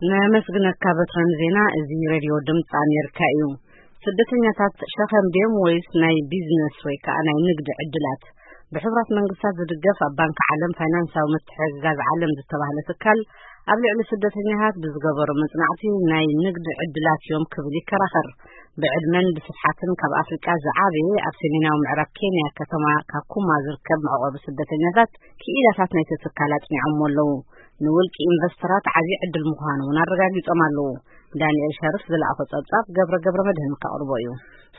ነመስግነካ በትረን ዜና። እዚ ሬድዮ ድምፂ ኣሜሪካ እዩ። ስደተኛታት ሸኸም ድዮም ወይስ ናይ ቢዝነስ ወይ ከዓ ናይ ንግዲ ዕድላት? ብሕቡራት መንግስታት ዝድገፍ ኣብ ባንክ ዓለም ፋይናንሳዊ ምትሕግጋዝ ዓለም ዝተባህለ ትካል ኣብ ልዕሊ ስደተኛታት ብዝገበሮ መጽናዕቲ ናይ ንግዲ ዕድላት እዮም ክብል ይከራኸር። ብዕድመን ብስፍሓትን ካብ ኣፍሪቃ ዝዓበየ ኣብ ሰሜናዊ ምዕራብ ኬንያ ከተማ ካኩማ ዝርከብ መዕቆቢ ስደተኛታት ክኢላታት ናይቲ ትካል ኣጽኒዖምዎ ኣለዉ። ንውልቂ ኢንቨስተራት ዓብዪ ዕድል ምዃኑ እውን ኣረጋጊጾም ኣለዉ። ዳንኤል ሸርፍ ዝለኣኾ ጸብጻብ ገብረ ገብረ መድህን ከቕርቦ እዩ።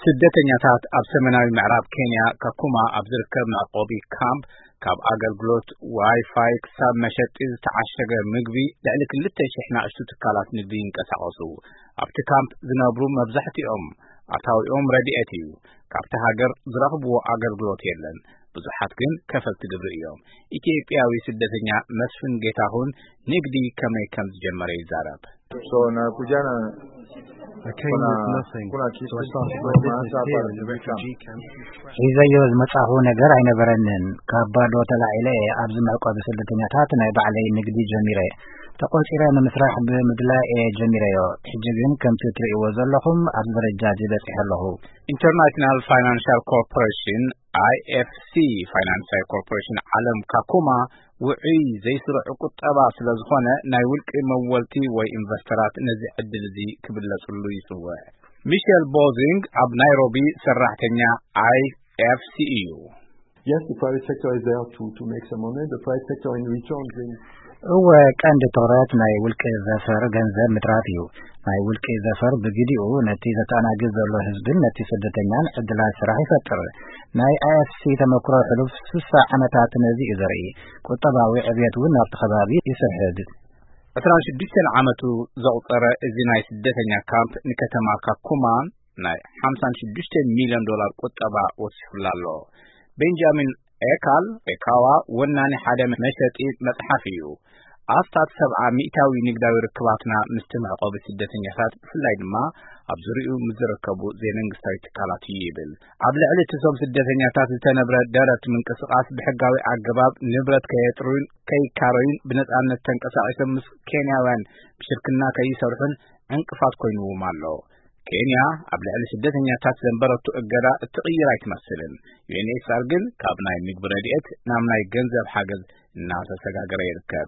ስደተኛታት ኣብ ሰሜናዊ ምዕራብ ኬንያ ካኩማ ኣብ ዝርከብ መዕቆቢ ካምፕ ካብ ኣገልግሎት ዋይፋይ ክሳብ መሸጢ ዝተዓሸገ ምግቢ ልዕሊ ክልተ ሽሕ ናእሽቱ ትካላት ንግዲ ይንቀሳቐሱ። ኣብቲ ካምፕ ዝነብሩ መብዛሕትኦም ኣታዊኦም ረድኤት እዩ። ካብቲ ሃገር ዝረኽብዎ ኣገልግሎት የለን። ብዙሓት ግን ከፈልቲ ግብሪ እዮም። ኢትዮጵያዊ ስደተኛ መስፍን ጌታሁን ንግዲ ከመይ ከም ዝጀመረ ይዛረብ። So, nakuja na I came with nothing, so I started my business here in the refugee camp. ሒዘዮ ዝመጻኹ ነገር ኣይነበረንን። ካብ ባዶ ተላዒለ እየ ኣብዚ መዕቆቢ ስደተኛታት ናይ ባዕለይ ንግዲ ጀሚረ። ተቖጺረ ንምስራሕ ብምድላይ እየ ጀሚረዮ። ሕጂ ግን ከምቲ እትርእይዎ ዘለኹም ኣብዚ ደረጃ እዚ በጺሐ ኣለኹ። ኢንተርናሽናል ፋይናንሻል ኮርፖሬሽን፣ I F C፣ ፋይናንሳዊ ኮርፖሬሽን ዓለም ካኩማ ውዑይ ዘይስሩዕ ቁጠባ ስለ ዝኾነ ናይ ውልቂ መወልቲ ወይ ኢንቨስተራት ነዚ ዕድል እዚ ክብለጽሉ ይጽውዕ። ሚሸል ቦዚንግ ኣብ ናይሮቢ ሰራሕተኛ I F C እዩ። Yes, the private sector is there to, to make some money. The private sector in return brings እወ፣ ቀንዲ ትኹረት ናይ ውልቂ ዘፈር ገንዘብ ምትራፍ እዩ። ናይ ውልቂ ዘፈር ብግዲኡ ነቲ ዘተኣናግድ ዘሎ ህዝብን ነቲ ስደተኛን ዕድላት ስራሕ ይፈጥር። ናይ I F C ተመክሮ ሕሉፍ ስሳ ዓመታት ነዚ እዩ ዘርኢ። ቁጠባዊ ዕብየት እውን ናብቲ ከባቢ ይስሕብ። ዕስራን ሽዱሽተን ዓመቱ ዘቑጸረ እዚ ናይ ስደተኛ ካምፕ ንከተማ ካኩማ ናይ ሓምሳን ሽዱሽተ ሚልዮን ዶላር ቁጠባ ወሲኹላ ኣሎ። ቤንጃሚን ኤካል፣ ኤካዋ፣ ወናኒ ሓደ መሸጢ መጽሓፍ እዩ። ኣስታት ሰብዓ ሚእታዊ ንግዳዊ ርክባትና ምስቲ መዕቆቢ ስደተኛታት፣ ብፍላይ ድማ ኣብ ዙሪኡ ምስ ዝርከቡ ዘይመንግስታዊ ትካላት እዩ ይብል። ኣብ ልዕሊ እቶም ስደተኛታት ዝተነብረ ደረት ምንቅስቓስ ብሕጋዊ ኣገባብ ንብረት ከየጥሩን ከይካረዩን ብነጻነት ተንቀሳቒሶም ምስ ኬንያውያን ብሽርክና ከይሰርሑን ዕንቅፋት ኮይንዎም ኣሎ። ኬንያ ኣብ ልዕሊ ስደተኛታት ዘንበረቶ እገዳ እትቕይር ኣይትመስልን። ዩ ኤን ኤች ሲ ኣር ግን ካብ ናይ ምግቢ ረድኤት ናብ ናይ ገንዘብ ሓገዝ እናተሰጋገረ ይርከብ።